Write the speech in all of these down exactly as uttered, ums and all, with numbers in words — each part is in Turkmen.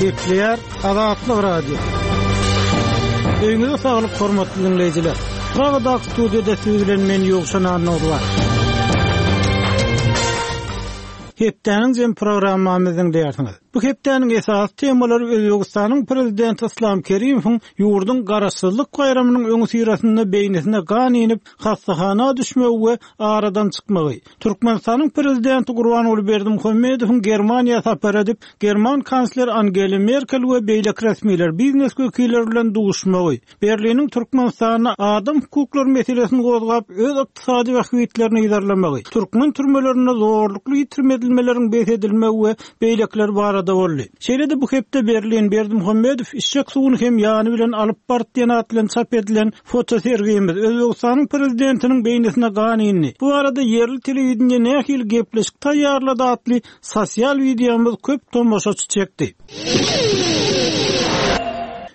Gepleýär Azatlyk Radiosy. Öýüňize saglyk hormatly dinleýjiler. Pragadaky studiýada siz bilen men Ýowşan Annagurbanow. Hepdäniň jem programmamyzy diňleýärsiňiz. Bu hepdäniň esasy temalary Özbegistanyň prezidenti Islam Kerimowyň ýurduň garaşsyzlyk baýramynyň öňüsyrasynda beýnisine gan inip, hassahana düşmegi we aradan çykmagy. Türkmenistanyň prezidenti Gurbanguly Berdimuhamedowyň Germaniýa sapar edip, German kansler Angela Merkel we beýleki resmiler, biznes wekilleri bilen duşmagy, Berliniň Türkmenistanda adam hukuklary meselesini gozgap, öz ykdysady bähbitlerini yzarlamagy, türkmen türmelerinde zorlukly ýitirim edilmeleriň bes edilmegi we beýlekiler barada boldy. Şeýle-de bu hepde Berlin Berdimuhamedow içjek suwuny hem ýany bilen alyp baryp diýen at bilen çap edilen fotosergimiz Özbegistanyň prezidentiniň beýnisine gan indi. Bu arada ýerli telewideniýe nähili gepleşik taýýarlady atly sosial wideomyz köp tomaşaçy çekdi.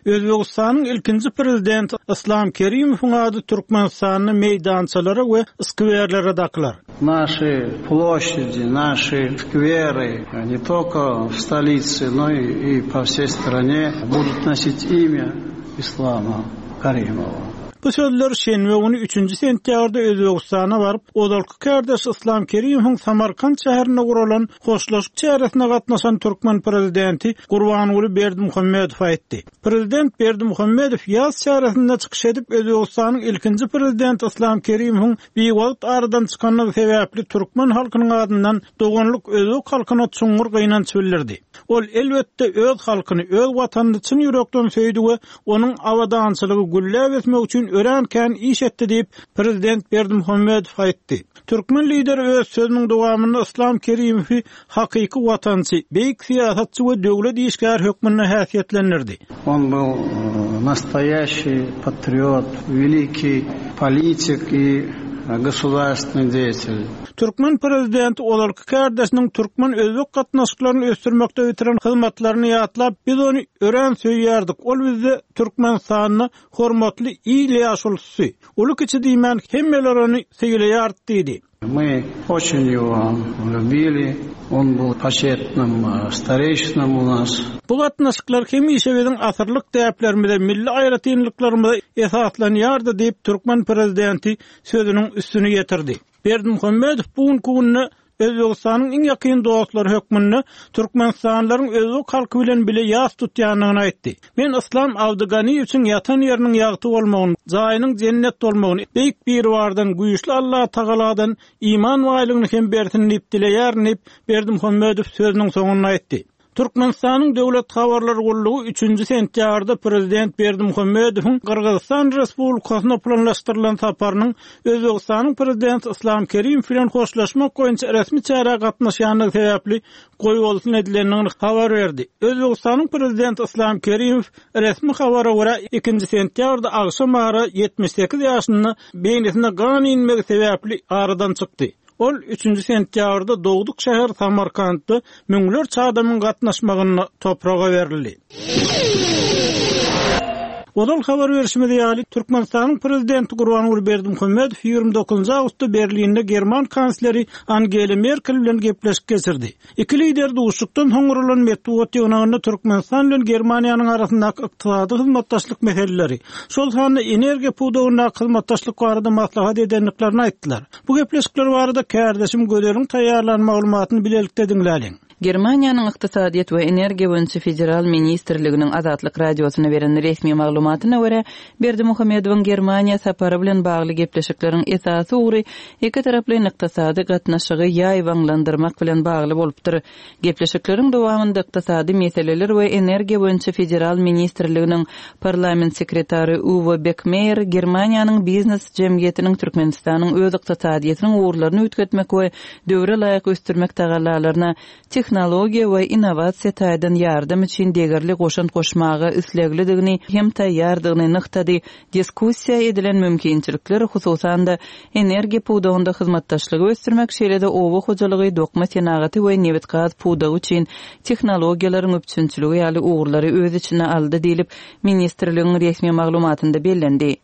Özbegistanyň ilkinji prezidenti Islam Kerimowyň ady Türkmenistanda meýdançalara we skwerlere dakylar. Наши площади, наши скверы не только в столице, но и по всей стране будут носить имя Ислама Каримова. Bu sözler şenbe güni üçünji sentýabrda Özbegistana baryp, ozalky kardeş Islam Kerimowyň Samarkand şäherinde guralan hoşlaşyk çäresine gatnaşan türkmen prezidenti Gurbanguly Berdimuhamedow aýtdy. Prezident Berdimuhamedow ýaz çäresinde çykyş edip, Özbegistanyň ilkinji prezidenti Islam Kerimowyň biwagt aradan çykanlygy sebäpli türkmen halkynyň adyndan doganlyk özbek halkyna çuňňur gynanç bildirdi. Ol elbetde öz halkyny, öz watanyny çyn ýürekden söýdi we onuň abadançylygy gülläp ösmek üçin örän kän iş etdi diýip, prezident Berdimuhamedow aýtdy. Türkmen lideri öz sözüniň dowamynda Islam Kerimowy hakyky watançy, beýik syýasatçy we döwlet işgäri hökmünde häsiýetlendirdi. Он был настоящий патриот, великий политик и государственный деятель. Türkmen prezidenti ozalky kardeşiniň türkmen özbek gatnaşyklaryny ösdürmekde bitiren hyzmatlaryny ýatlap, biz ony örän söýýärdik. Ol bizde Türkmenistanda hormatly il ýaşulusy. Uly kiçi diýmän hemmeler ony söýleýärdi diýdi. Мы очень его любили. Он был почетным старейшином у нас. Bu gatnaşyklar hemişe biziň asyrlyk däplerimize, milli aýratynlyklarymyza esaslanýardy diýip türkmen prezidenti sözüniň üstüni ýetirdi. Berdimuhamedow bu günde Özbegistanyň iň ýakyn dostlary hökmünde Türkmenistanlylaryň özbek halky bilen bile ýas tutýanyny aýtdy. Men Islam Abdyganiýewiň ýatan ýeriniň ýagty bolmagyny, jaýynyň jennet bolmagyny, beýik Biribardan, güýçli Allah Tagaladan iman baýlygyny hem bersin diýip dileýärin diýip Berdimuhamedow sözüniň soňunda aýtdy. Türkmenistanyň Döwlet Habarlar Gullugy üçünji sentýabrda prezident Berdimuhamedowyň Gyrgyzystan Respublikasyna planlaşdyrylan saparynyň Özbegistanyň prezidenti Islam Kerimow bilen hoşlaşmak boýunça resmi çärä gatnaşýanlygy sebäpli goýbolsun edilendigini habar berdi. Özbegistanyň prezidenti Islam Kerimow resmi habara görä ikinji sentýabrda agşam ara ýetmiş sekiz ýaşynda beýnisine gan inmegi sebäpli aradan çykdy. Ol üçünji sentýabrda dogduk şäher Samarkandda müňlerçe adamyň gatnaşmagyna topraga berildi. Ozal habar berişimiz ýaly, Türkmenistanyň prezidenti Gurbanguly Berdimuhamedow ýigrimi dokuzynjy awgustda Berlinde German kansleri Angela Merkel bilen gepleşik geçirdi. Iki lider duşuşykdan soň guralan metbugat ýygnagynda Türkmenistan bilen Germaniýanyň arasyndaky ykdysady hyzmatdaşlyk meseleleri, şol sanda energiýa pudagyndaky hyzmatdaşlyk barada maslahat edendiklerini aýtdylar. Bu gepleşikler barada kardeşim Gözeliň taýýarlan maglumatyny bilelikde diňläliň. Germaniýanyň Ykdysadyýet we Energiýa boýunça Federal Ministrliginiň Azatlyk Radiosyna beren resmi maglumatyna görä, Berdimuhamedowyň Germaniýa sapary bilen bagly gepleşikleriň esasy ugry iki taraplaýyn ykdysady gatnaşygy ýaýbaňlandyrmak bilen bagly bolupdyr. Gepleşikleriň dowamynda ykdysady meseleler we Energiýa boýunça Federal Ministrliginiň parlament sekretary Uwe Beckmeyer Germaniýanyň biznes jemgyýetiniň Türkmenistanyň öz ykdysadyýetiniň ugurlaryny üýtgetmek we döwre laýyk ösdürmek tagallalaryna tehnologiýa we innowasiýa taýdan ýardam üçin degerli goşant goşmaga isleglidigini hem taýýardygyny nygtady. Diskussiýa edilen mümkinçilikler, hususan-da energiýa pudagynda hyzmatdaşlygy ösdürmek, şeýle-de oba hojalygy, dokma senagaty we nebit-gaz pudagy üçin tehnologiýalaryň üpjünçiligi ýaly ugurlary öz içine aldy diýlip, ministrligiň resmi maglumatynda bellendi.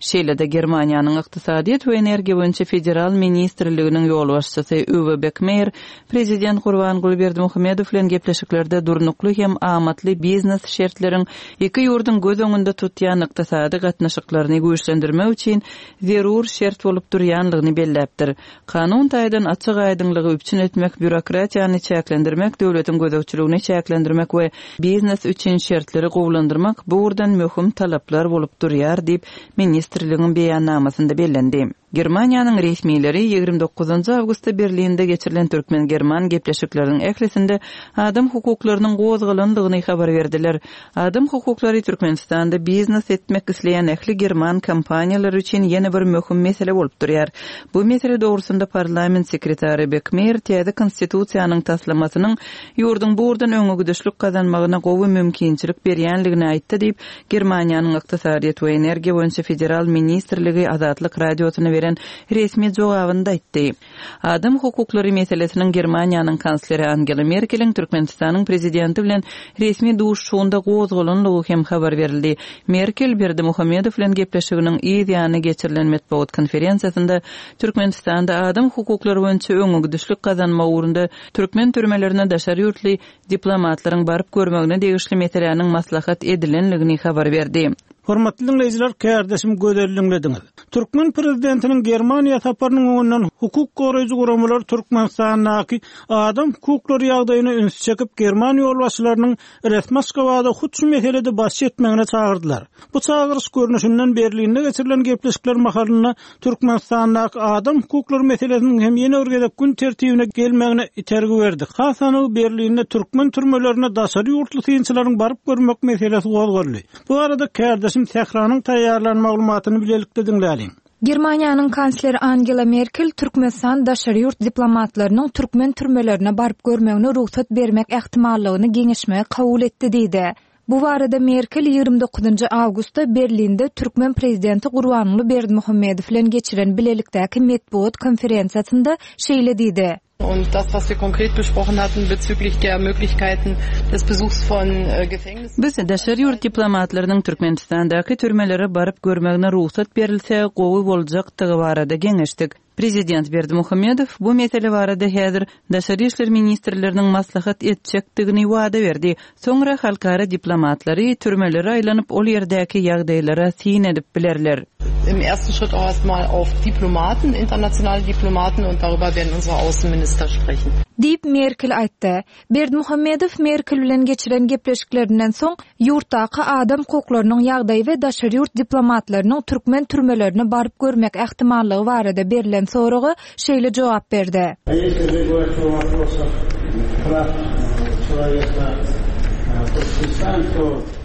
Şeýle-de Germaniýanyň Ykdysadyýet we energiýa boýunça federal ministrliginiň ýolbaşçysy Uwe Bekmeýer prezident Gurbanguly Berdimuhamedow bilen gepleşiklerde durnukly hem amatly biznes şertleriň iki ýurduň göz öňünde tutýan ykdysady gatnaşyklaryny güýçlendirmek üçin zerur şert bolup durýanlygyny belläpdir. Kanun taýdan açyk aýdyňlygy üpjün etmek, býurokratiýany çäklendirmek, döwletiň gözegçiligini çäklendirmek we biznes üçin şertleri gowulandyrmak bu ugurdan möhüm talaplar bolup durýar diýip, ministrligiň beýannamasynda bellendi. Germaniýanyň resmileri ýigrimi dokuzynjy awgustda Berlinde geçirilen türkmen-german gepleşikleriniň ählisinde adam hukuklarynyň gozgalandygyny habar berdiler. Adam hukuklary Türkmenistanda biznes etmek isleýän ähli german kompaniýalary üçin ýene bir möhüm mesele bolup durýar. Bu mesele dogrusynda parlament sekretary Bekmeýer täze konstitusiýanyň taslamasynyň ýurduň bu ugurdan öňegidişlik gazanmagyna gowy mümkinçilik berýänligini aýtdy diýip, Germaniýanyň Ykdysadyýet we energiýa boýunça federal ministrligi Azatlyk Radiosyna beren resmi jogabynda aýtdy. Adam hukuklary meselesiniň Germaniýanyň kansleri Angela Merkeliň Türkmenistanyň prezidenti bilen resmi duşuşygynda gozgalanlygy hem habar berildi. Merkel Berdimuhamedow bilen gepleşiginiň yz ýany geçirilen metbugat konferensiýasynda Türkmenistanda adam hukuklary boýunça öňegidişlik gazanmak ugrunda türkmen türmelerine daşary ýurtly diplomatlaryň baryp görmegine degişli meseläniň maslahat edilenligini habar berdi. Hormatly dinleýjiler, kärdeşim Gözel diňlediňiz. Türkmen prezidentiniň Germaniýa saparynyň öňünden hukuk goraýjy guramalar Türkmenistandaky adam hukuklary ýagdaýyna üns çekip, German ýolbaşçylarynyň resmi Aşgabada hut şu meselede baş etmegine çagyrdylar. Bu çagyryş görnüşinden Berlinde geçirilen gepleşikler mahalynda Türkmenistandaky adam hukuklary meselesiniň hem ýene bir gezek gün tertibine gelmegine itergi berdi. Has anygy Berlinde türkmen türmelerine daşary ýurtly synçylaryň baryp görmek meselesi gozgaldy. Bu arada kärdeşim Sähranyň taýýarlan maglumatyny bilelikde diňläliň. Germaniýanyň kansleri Angela Merkel Türkmenistan daşary ýurt diplomatlarynyň türkmen türmelerine baryp görmegine rugsat bermek ähtimallygyny geňeşmegi kabul etdi diýdi. Bu barada Merkel ýigrimi dokuzynjy awgustda Berlinde türkmen prezidenti Gurbanguly Berdimuhamedow bilen geçiren bilelikdäki metbugat konferensiýasynda şeýle diýdi. Und das, was wir konkret besprochen hatten bezüglich der Möglichkeiten des Besuchs von Gefängnissen. Biz daşary ýurt diplomatlarynyň Türkmenistandaky türmelere baryp görmegine rugsat berilse gowy boljakdygy barada geňeşdik. Prezident Berdimuhamedow bu mesele barada häzir Daşary işler ministrleriniň maslahat etjekdigini wada berdi. Soňra halkara diplomatlary türmelere aýlanyp ol ýerdäki ýagdaýlara syn edip bilerler. Im ersten Schritt auch erstmal auf Diplomaten, internationale Diplomaten und darüber werden unsere Außenminister sprechen. Diýip Merkel aýtdy. Berdimuhamedow Merkel bilen geçiren gepleşiklerinden soň ýurtdaky adam hukuklarynyň ýagdaýy we daşary ýurt diplomatlarynyň türkmen türmelerine baryp görmek ähtimallygy barada berlen soraga şeýle jogap berdi.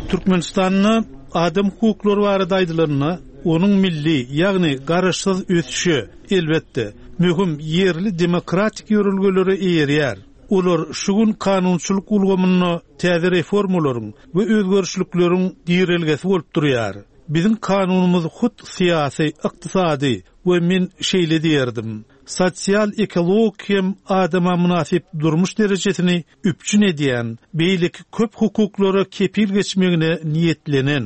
Türkmenistanda adam hukuklary barada aýdylanda, onuň milli, ýagny garaşsyz ösüşi elbetde möhüm ýerli demokratik ýörelgelere eýerýär. Olar şu gün kanunçylyk ulgamynda täze reformalaryň we özgerişlikleriň girelgesi bolup durýar. Biziň kanunymyz hut syýasy, ykdysady we men şeýle diýerdim. Sosial ekologik hem adama mynasyp durmuş derejesini üpjün edýän, beýleki köp hukuklara kepil geçmegine niýetlenen.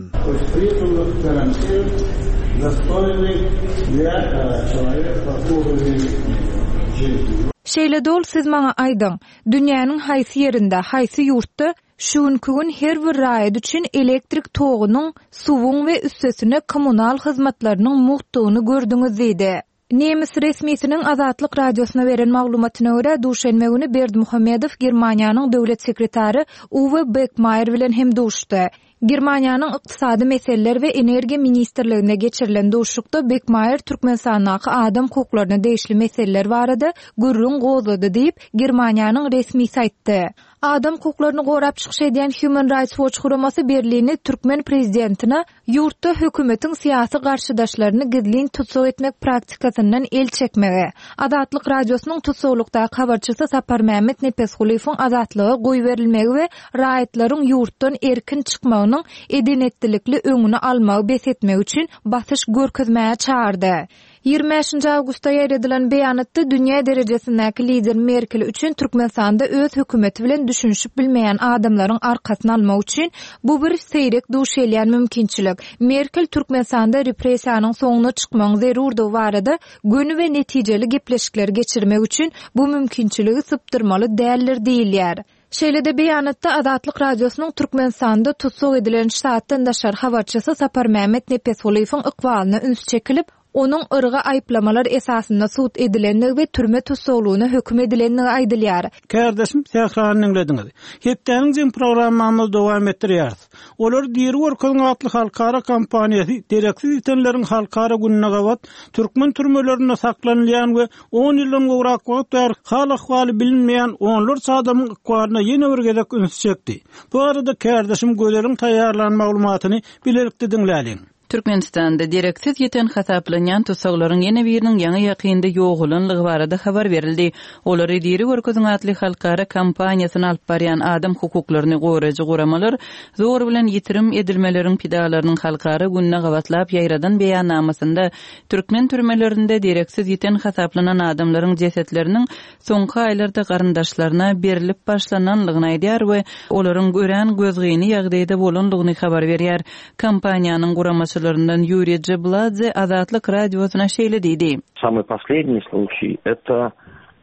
Şeýle dol siz maňa aýdyň, dünýäniň haýsy ýerinde, haýsy ýurtda şu günki gün her bir raýat üçin elektrik togunyň, suwuň we üstesine kommunal hyzmatlarynyň muhtugyny gördüňiz diýdi. Nemes resmisiniň Azatlyk radiosyna beren maglumatyna görä duşenbe güni Berdimuhamedow Germaniýanyň döwlet sekretary Uwe Beckmeyer bilen hem duşdy. Germaniýanyň ykdysady meseleler we energiýa ministrliginde geçirilen duşuşykda Beckmeyer Türkmenistandaky adam hukuklaryna degişli meseleler barada gürrüň gozgady diýip, Germaniýanyň resmisi aýtdy. Adam hukuklaryny gorap çykyş edýän Human Rights Watch guramasy Berlini türkmen prezidentine ýurtda hökümetiň syýasy garşydaşlaryny gizlin tutsag etmek praktikasyndan el çekmegi, Azatlyk radiosynyň tutsaglykdaky habarçysy Saparmämmet Nepesgulyýewiň azatlyga goýberilmegi we raýatlaryň ýurtdan erkin çykmagynyň edenetlilikli öňüni almagy bes etmek üçin basyş görkezmäge çağırdy. Ýigrimi bäşinji awgustda ýaýradylan beýanatda dünýä derejesindäki lider Merkel üçin Türkmenistanda öz hökümeti bilen düşünişip bilmeýän adamlaryň arkasyny almak üçin bu bir seýrek duş gelýän mümkinçilik. Merkel Türkmenistanda repressiýanyň soňuna çykmagyň zerurdygy barada göni we netijeli gepleşikleri geçirmek üçin bu mümkinçiligi sypdyrmaly däldir diýilýär. Şeýle-de beýanatda Azatlyk Radiosynyň Türkmenistanda tussag edilen ştatdan daşary habarçysy Saparmämmet Nepesgulyýewiň ykbalyna üns çekilip, onuň yrga aýyplamalar esasynda sud edilendigi we türme tussaglygyna höküm edilendigi aýdylýar. Kärdeşim Sährany diňlediňiz. Hepdäniň jemi programmamyzy dowam etdirýäris. Olary diri görkeziň atly halkara kampaniýasy dereksiz ýitenleriň halkara gününe gabat türkmen türmelerinde saklanylýan we on ýyldan gowrak wagt bäri hal-ahwaly bilinmeýän onlarça adamyň ykbalyna ýene bir gezek üns çekdi. Bu arada kärdeşim Gözeliň taýýarlan maglumatyny bilelikde diňläliň. Türkmenistanda dereksiz ýiten hasaplanýan tussaglaryň ýene biriniň ýaňy ýakynda ýogalanlygy barada habar berildi. Olary diri görkeziň atly halkara kampaniýasyny alyp barýan adam hukuklaryny goraýjy guramalar zor bilen ýitirim edilmeleriň pidalarynyň halkara gününe gabatlap ýaýradan beýannamasynda türkmen türmelerinde dereksiz ýiten hasaplanan adamlaryň jesetleriniň soňky aýlarda garyndaşlaryna berilip başlananlygyny aýdýar we olaryň örän gözgyny ýagdaýda bolanlygyny habar berýär. Kampaniýanyň guramaçylaryndan Ýuriý Jebladze Azatlyk radiosyna şeýle diýdi. Самый последний случай это,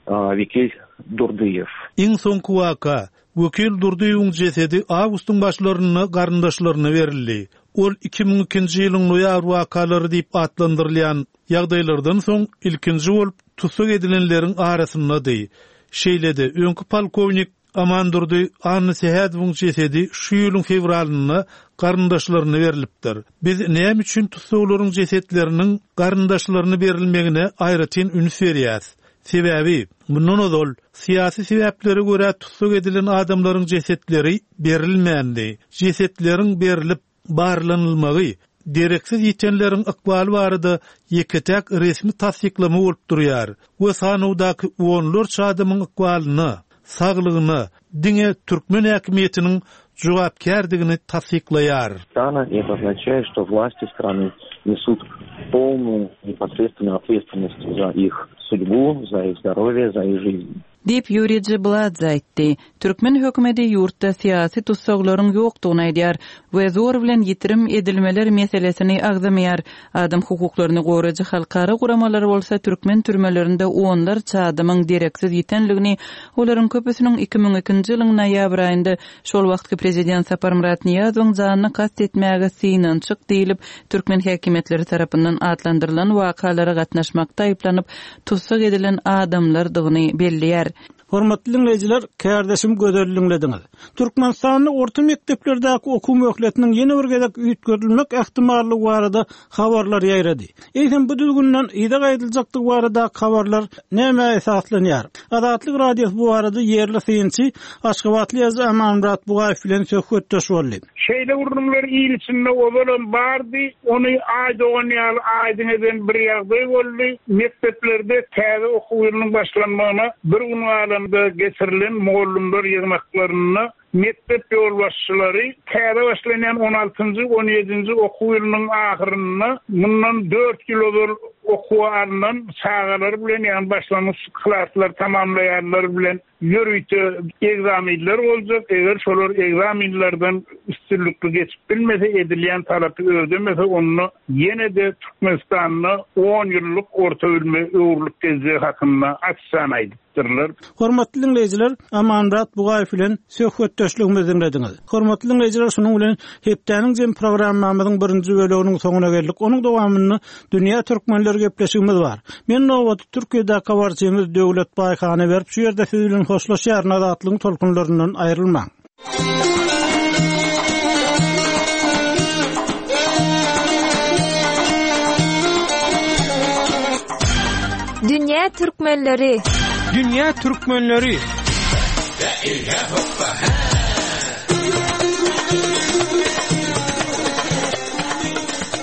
а, Векиль Durdyýew. Iň soňky waka Wekil Durdyýewiň jesedi awgustyň başlarynda garyndaşlaryna berildi. Ol iki müň ikinji ýylyň noýabr wakalary diýip atlandyrylýan ýagdaýlardan soň ilkinji bolup tussag edilenleriň arasyndady. Şeýle-de öňki polkownik Amandurdy Anna Sehadowyň jesedi şu ýylyň fewralynda garyndaşlaryna berilipdir. Biz näme üçin tussaglaryň jesetleriniň garyndaşlaryna berilmegine aýratyn üns berýäs? Sebäbi mundan ozal syýasy sebäplere görä tussag edilen adamlaryň jesetleri berilmändi. Jesetleriň berilip barlanylmagy dereksiz ýitenleriň ykbaly barada ýeke-täk resmi tassyklama bolup durýar we sanawdaky onlarça adamyň ykbalyna, saglygyna diňe türkmen häkimiýetiniň jogapkärdigini tassyklaýar. Страна, и это означает, что власти страны несут полную непосредственную ответственность за их судьбу, за их здоровье, за их жизнь. Diýip Ýuriý Jebladze aýtdy. Türkmen hökümeti ýurtda syýasy tussaglaryň ýokdugyny aýdýar we zor bilen ýitirim edilmeler meselesini agzamaýar. Adam hukuklaryny goraýjy halkara guramalary bolsa türkmen türmelerinde onlarça adamyň dereksiz ýitenligini, olaryň köpüsiniň iki müň ikinji ýylyň noýabr aýynda şol wagtky prezident Saparmyrat Nyýazowyň janyny kast etmäge synanyşyk diýilip, türkmen häkimiýetleri tarapyndan atlandyrylan wakalara gatnaşmakda aýyplanyp tussag edilen adamlardygyny belleýär. Hormatly dinleýjiler, kärdeşim Gözel diňlediňiz. Türkmenistanda orta mekdeplerdäki okuw möhletiniň ýene bir gezek üýtgedilmek ähtimallygy barada habarlar ýaýrady. Eýsem bu düzgünden yza gaýdyljakdygy barada habarlar näme esaslanýar? Azatlyk Radiosy bu barada ýerli synçy Aşgabatly ýazyjy Amanmyrat Bugaýew bilen söhbetdeş boldy. Şeýle gurlumlar il içinde ozalam bardy, ony aý dogan ýaly aýdyň eden bir ýagdaý boldy. Mekdeplerde täze okuw ýylynyň başlanmagyna bir gün galanda getirilen mugallymlar ýygnaklarynda mekdep ýolbaşçylary täze başlanýan on altynjy, on ýedinji okuw ýylynyň ahyrynda mundan dört ýyl ozal okuwa alnan çagalar bilen, ýagny başlangyç klaslar tamamlaýanlar bilen ýörite egzaminler boljak. Eger şolar egzaminlerden üstünlikli geçip bilmese, edilýän talapy ödemese, onda ýene-de Türkmenistanda on ýyllyk orta bilime öwrülip geljegi hakynda açyk aýdypdyrlar. Hormatly dinleýjiler, Amanmyrat Bugaýew bilen söhbetdeşligimizi diňlediňiz. Hormatly dinleýjiler, şunuň bilen hepdäniň jem programmamyzyň birinji böleginiň soňuna geldik. Onuň dowamynda Dünýä Türkmenleri gepleşigimiz bar. Men nowaty Türkiýede habarçymyz Döwlet Baýhana berip, şu ýerde siz bilen hoşlaşýaryn. Azatlygyň tolkunlaryndan aýrylmaň. Dünýä Türkmenleri. Dünýä Türkmenleri.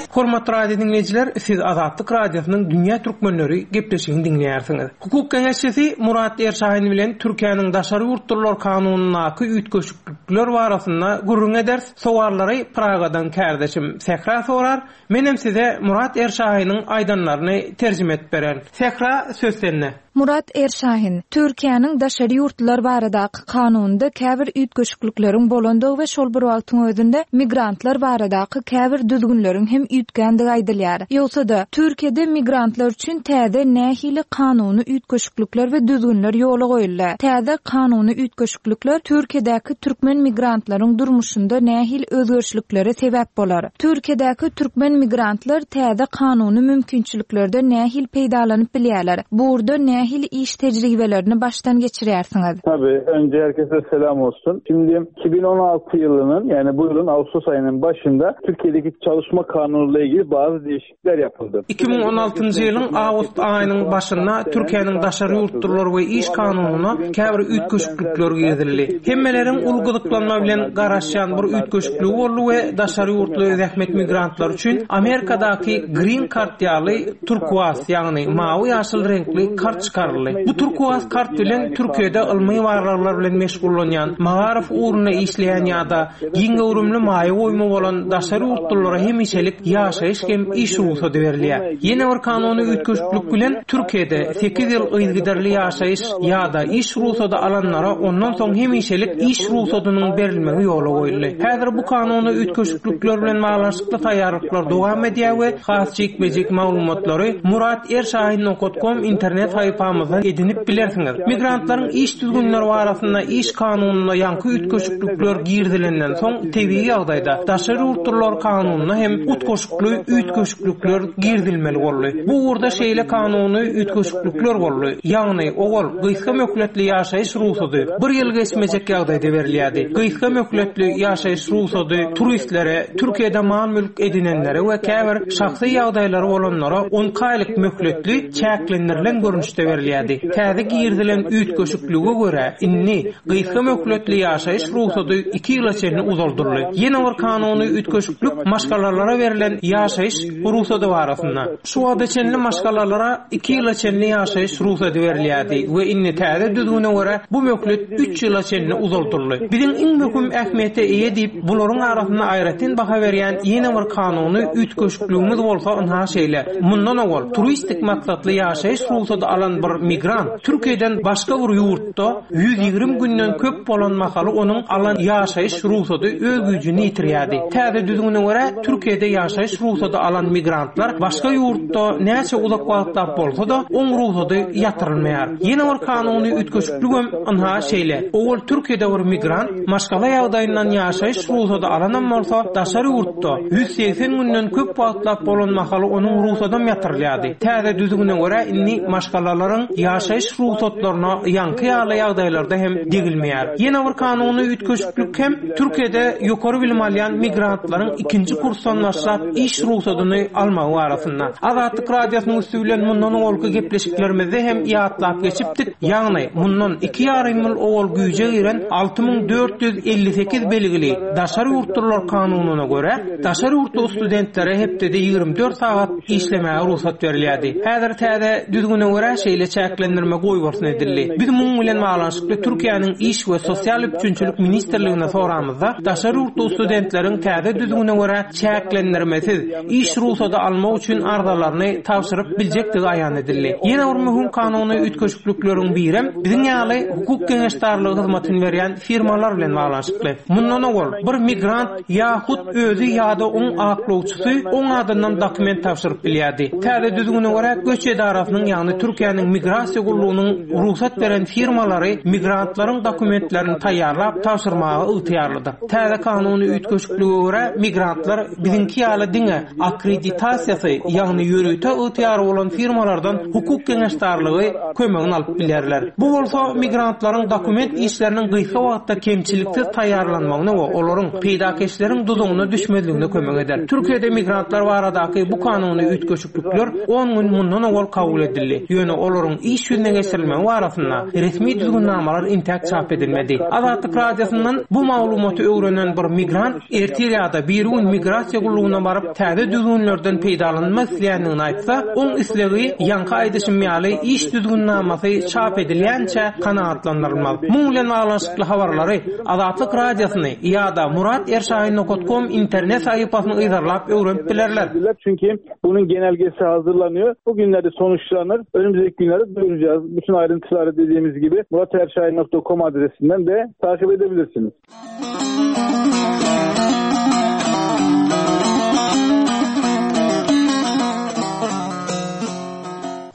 Hormatly radio dinleýjiler, siz Azatlyk Radiosynyň Dünýä Türkmenleri gepleşigini dinleýärsiňiz. Hukuk geňeşçisi Murat Erşahin bilen Türkiýäniň daşary ýurtlular kanunyndaky üýtgeşiklikler üýtgeşiklikler barasynda gürrüň ederis. Sowallary Pragadan kärdeşim Sähra sorar. Menem size Murat Erşahiniň aýdanlaryny terjime edip bererin. Sähra, söz sende. Murat Erşahin, Türkiýäniň daşary ýurtlular baradaky kanunynda käbir üýtgeşiklikleriň bolandygy we şol bir wagtyň özünde migrantlar baradaky käbir düzgünleriň hem üýtgändigi aýdylýar. Ýogsa-da, Türkiýede migrantlar üçin täze nähili kanuny üýtgeşiklikler we düzgünler ýola goýuldy? Täze kanuny üýtgeşiklikler Türkiýedäki türkmen migrantlaryň durmuşynda nähili özgerişliklere sebäp bolar? Türkiýedäki türkmen migrantlar täze kanuny mümkinçiliklerden nähili peýdalanyp bilýärler? Bu ugurda nähili iş tejribelerini başdan geçirýärsiňiz? Tabii önce herkese selam olsun. Şimdi iki bin on altı yılının yani bu yılın Ağustos ayının başında Türkiye'deki çalışma kanunuyla ilgili bazı değişiklikler yapıldı. iki müň on altyncı ýylyň awgust aýynyň başynda Türkiýäniň daşary ýurtlular we iş kanununa käbir üýtgeşiklikler girizildi. Hemmeleriň uly gyzyklanma bilen garaşýan bir üýtgeşikligi boldy we daşary ýurtly zähmet migrantlar üçin Amerikadaky Green Card ýaly turkuaz, ýagny mawy ýaşyl reňkli kart çykaryldy. Bu turkuaz kart bilen Türkiýede ylmy barlaglar bilen meşgullanýan, magaryf ugrunda işleýän ýa-da giň göwrümli maýa goýma bolan daşary ýurtlulara hemişelik ýaşaýyş hem iş rugsady berilýär. Ýene bir kanuny üýtgeşiklik bilen Türkiýede sekiz ýyl yzygiderli ýaşaýyş ýa-da iş rugsady alanlara ondan soň hemişelik iş rugsadynyň berilmegi ýola goýuldy. Häzir bu kanuny üýtgeşiklikler bilen baglanyşykly taýýarlyklar dowam edýär we has jikme-jik maglumatlary murat erşahin nokta com internet saýfamyzdan edinip bilersiňiz. Migrantlaryň iş düzgünleri barasynda iş kanununa ýaňky üýtgeşiklikler girizilenden soň tebigy ýagdaýda daşary ýurtlular kanununa hem utgaşykly üýtgeşiklikler girizilmeli boldy. Bu ugurda şeýle kanuny üýtgeşiklikler boldy. Ýagny ogul gysga möhletli ýaşaýyş rugsady bir ýyl geçmejek ýagdaýda berilýärdi. Gysga möhletli ýaşaýyş rugsady turistlere, Türkiýede mal-mülk edinenlere we käbir şahsy ýagdaýlary bolanlara on iki aýlyk möhletli çäklendirilen görnüşde berilýärdi. Täze girizilen üýtgeşiklige görä indi gysga möhletli ýaşaýyş rugsady iki ýyla çenli uzaldyldy. Ýene bir kanuny üýtgeşiklik maşgalalara berlen ýaşaýyş rugsady barasynda. Şu wagta çenli maşgalalara iki ýyla çenli ýaşaýyş rugsady berilýärdi we indi täze düzgüne görä bu möhlet üç ýyla çenli uzaldyldy. Biziň iň möhüm ähmiýete eýe diýip, bularyň arasynda aýratyn baha berýän ýene bir kanuny üýtgeşikligimiz bolsa ynha şeýle. Mundan owal turistik maksatly ýaşaýyş rugsady alan bir migrant Türkiýeden başga bir ýurtda ýüz ýigrimi günden köp bolan mahaly onuň alan ýaşaýyş rugsady öz güýjüni ýitirýärdi. Täze düzgüne görä Türkiýede ýaşaýyş rugsady alan migrantlar başga ýurtda näçe uzak wagtlap bolsa-da oň rugsady ýatyrylmaýar. Ýene bir kanuny üýtgeşikligem ynha şeýle. Owal Türkiýede bir migrant maşgala ýagdaýyndan ýaşaýyş rugsady alanam bolsa daşary ýurtda ýüz segsen günden köp wagtlap bolan mahaly onuň rugsadam ýatyrylýardy. Täze düzgüne görä indi maşgalalaryň ýaşaýyş rugsatlaryna ýaňky ýaly ýagdaýlarda hem degilmeýär. Ýene bir kanuny üýtgeşiklik hem Türkiýede ýokary bilim alýan migrantlaryň ikinji kursdan başlap iş rugsadyny almagy barasynda. Azatlyk radiosynyň üsti bilen mundan owalky gepleşiklerimizde hem ýatlap geçipdik. Ýagny mundan iki ýarym ýyl owal güýje giren alty müň dört ýüz elli sekiz belgili daşary ýurtlular kanunyna görä daşary ýurtly studentlere hepdede ýigrimi dört sagat işlemäge rugsat berilýärdi. Häzir täze düzgüne görä şeýle çäklendirme goýbolsun edildi. Biz muň bilen baglanyşykly Türkiýäniň iş we sosial üpjünçilik ministrligine soramyzda daşary ýurtly studentleriň täze düzgüne görä çäklendirmesiz iş rugsady almak üçin arzalaryny tabşyryp biljekdigi aýan edildi. Ýene bir möhüm kanuny üýtgeşiklikleriň birem biziň ýaly hukuk geňeşdarlygy hyzmatyny berýän firmalar bilen baglanyşykly. Mundan owal bir migrant ýa-hut özi ýa-da oň aklawçysy oň adyndan dokument tabşyryp bilýärdi. Täze düzgüne görä göç edarasynyň ýagny Türkiýäniň migrasiýa gullugynyň rugsat beren firmalary migrantlaryň dokumentlerini taýýarlap tabşyrmaga ygtyýarlydyr. Täze kanuny üýtgeşiklige görä migrantlar biziňki ýaly diňe akkreditasiýasy, ýagny ýörite ygtyýary bolan firmalardan hukuk geňeşdarlygy kömegini alyp bilerler. Bu bolsa migrantlaryň dokument işleriniň gysga wagtda kemçiliksiz taýýarlanmagyna we olaryň peýdakeşleriň duzugyna düşmezligine kömek eder. Türkiýede migrantlar baradaky bu kanuny üýtgeşiklikler on gün mundan owal kabul edildi. Ýöne olaryň olaryň iş ýüzüne geçirilmegi barasynda resmi düzgünnamalar intäk çap edilmedi. Azatlyk Radiosyndan bu maglumaty öwrenen bir migrant ertir ýa-da birigün migrasiýa gullugyna baryp täze düzgünlerden peýdalanmak isleýändigini aýtsa, oň islegi ýaňky aýdyşym ýaly iş düzgünnamasy çap edilýänçä kanagatlandyrylmaz. Muň bilen baglanyşykly habarlary Azatlyk Radiosyny ýa-da murat erşahin nokta com internet sahypasyny yzarlap öwrenip bilerler. Çünki bunun genelgesi hazırlanıyor. Bugünlerde sonuçlanır. Önümüzdeki günlerde duyuracağız. Bütün ayrıntıları dediğimiz gibi murat erşahin nokta com adresinden de takip edebilirsiniz.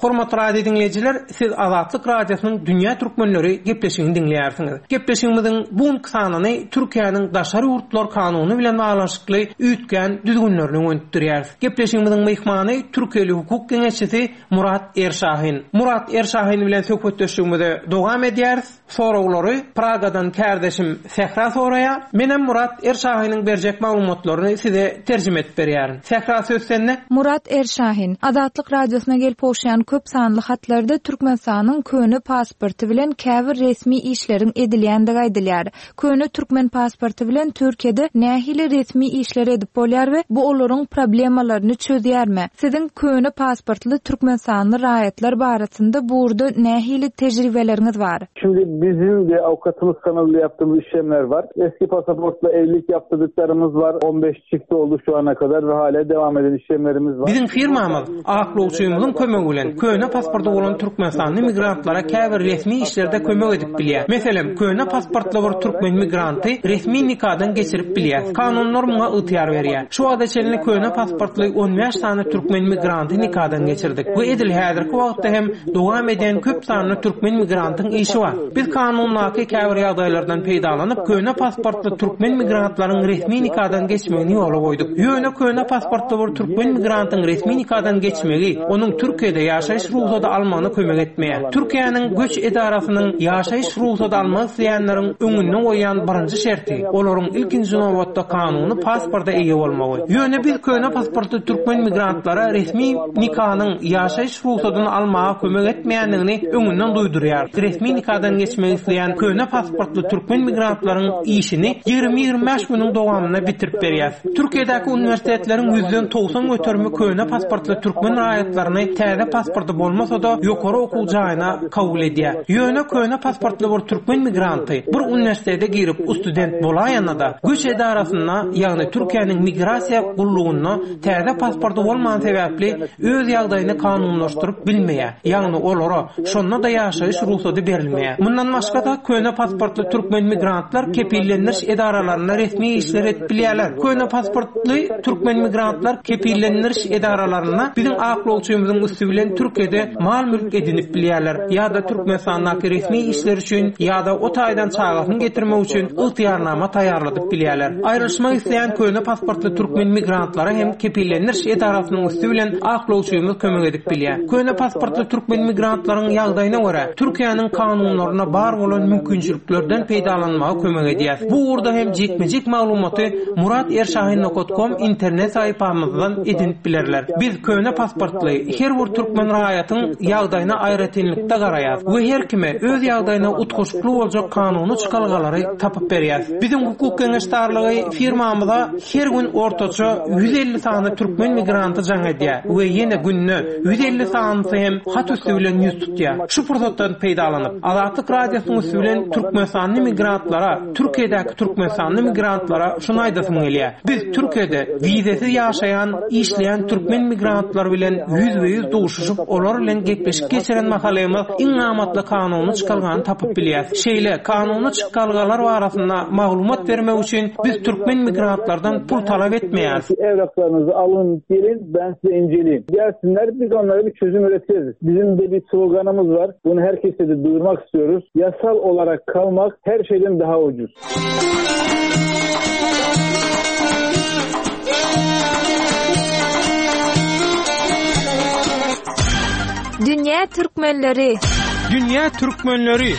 Hormatly radio dinleýjiler, siz Azatlyk Radiosynyň Dünýä Türkmenleri gepleşigini dinleýärsiňiz. Gepleşigimiziň bu günki sanyny Türkiýäniň daşary ýurtlar kanuny bilen baglanyşykly üýtgän düzgünlerini öňütdirýär. Gepleşigimiziň myhmany Türkiýeli hukuk geňeşçisi Murat Erşahin. Murat Erşahin bilen söhbetdeşligimize dowam edýäris. Soraglary Pragadan kärdeşim Sähra soraýar. Menem Murat Erşahiniň berjek maglumatlaryny size terjime edip berýärin. Sähra söz sende. Murat Erşahin, Azatlyk Radiosyna gelip gowşan köp sanly hatlarda Türkmenistanyň köne pasporty bilen käbir resmi işleriň edilýändigi aýdylýar. Köne türkmen pasporty bilen Türkiýede nähili resmi işler edip bolýar we bu olaryň problemalaryny çözýärmi? Siziň köne pasportly Türkmenistanly raýatlar barasynda burada nähili tejribeleriňiz bar? Şimdi bizim de avukatımız kanalıyla yaptığımız işlemler var. Eski pasaportla evlilik yaptırdıklarımız var. on beş çift oldu şu ana kadar ve hala devam eden işlemlerimiz var. Bizim firmamız aklawçymyzyň kömegi bilen köne pasporty bolan Türkmenistanly migrantlara käbir resmi işlerde kömek edip bilýär. Meselem, köne pasportly bir türkmen migranty resmi nikadan geçirip bilýär. Kanunlar muňa ygtyýar berýär. Şu wagta çenli köne pasportly on bäş sany türkmen migranty nikadan geçirdik. Bu edil häzirki wagtda hem dowam eden köp sanly türkmen migrantyň işi bar. Biz kanundaky käbir ýagdaýlardan peýdalanyp köne pasportly türkmen migrantlaryň resmi nikadan geçmegini ýola goýduk. Ýöne köne pasportly bir türkmen migrantyň resmi nikadan geçmegi onuň Türkiýede ýaşaýyş rugsady almagyna kömek etmeýär. Türkiýäniň göç edarasynyň ýaşaýyş rugsady almak isleýänleriň öňünde goýan birinji şerti olaryň ilkinji nobatda kanuny pasporta eýe bolmagy. Ýöne biz köne pasportly türkmen migrantlara resmi nikanyň ýaşaýyş rugsadyny almaga kömek etmeýändigini öňünden duýdurýar. Resmi nikadan geçmek isleýän köne pasportly türkmen migrantlaryň işini ýigrimi ýigrimi bäş günüň dowamynda bitirip berýär. Türkiýedäki uniwersitetleriň ýüzden togsan göterimi köne pasportly türkmen raýatlaryny täze pasporty bolmasa da ýokary okuw jaýyna kabul edýär. Ýöne köne pasportly bir türkmen migranty bir uniwersitete girip student bolaýanda da göç edarasynda, ýagny Türkiýäniň migrasiýa gullugynda täze pasporty bolman sebäpli öz ýagdaýyny kanunlaşdyryp bilmeýär. Ýagny olara şonda da ýaşaýyş rugsady berilmeýär. Mundan başga da köne pasportly türkmen migrantlar kepillendiriş edaralarynda resmi işler edip bilýärler. Köne pasportly türkmen migrantlar kepillendiriş edaralarynda biziň aklawçymyzyň üsti bilen Türkiýede mal mülk edinip bilýärler ýa-da Türkmenistandaky resmi işler üçin ýa-da o taýdan çagasyny getirmek üçin ygtyýarnama taýýarladyp bilýärler. Aýrylyşmak isleýän köne pasportly türkmen migrantlara hem kepillendiriş edarasynyň üsti bilen aklawçymyz kömek edip bilýär. Köne pasportly türkmen migrantlaryň ýagdaýyna görä Türkiýäniň kanunlaryna bar bolan mümkinçiliklerden peýdalanmaga kömek edýär. Bu ugurda hem jikme-jik maglumaty murat erşahin nokta com internet sahypamyzdan edinip bilerler. Biz köne pasportly her bir türkmen raýatyň ýagdaýyna aýratynlykda garaýar we her kime öz ýagdaýyna utgaşykly boljak kanuny çykalgalary tapyp berýär. Biziň hukuk geňeşdarlygy firmamyza her gün ortaça ýüz elli sany türkmen migranty jaň edýär we ýene günde ýüz elli sanysy hem hat üstü bilen ýüz tutýar. Şu pursatdan peýdalanyp Azatlyk Radiosynyň üstü bilen Türkmenistanly migrantlara, Türkiýedäki Türkmenistanly migrantlara şuny aýdasym gelýär. Biz Türkiýede wizesiz ýaşaýan, işleýän türkmen migrantlary bilen ýüzbe-ýüz duşuşyp, olar bilen gepleşik geçiren mahalymyz iň amatly kanuny çykalgany tapyp bilýär. Şeýle kanuny çykalgalar barasynda maglumat bermek üçin biz türkmen migrantlardan pul talap etmeýäris. Evraklarınızı alın, gelin, ben size inceleyeyim. Gelsinler, biz onlara bir çözüm üretiriz. Bizim de bir sloganımız var. Bunu herkese de duyurmak istiyoruz. Yasal olarak kalmak her şeyden daha ucuz. Dünya Türkmenleri. Dünya Türkmenleri.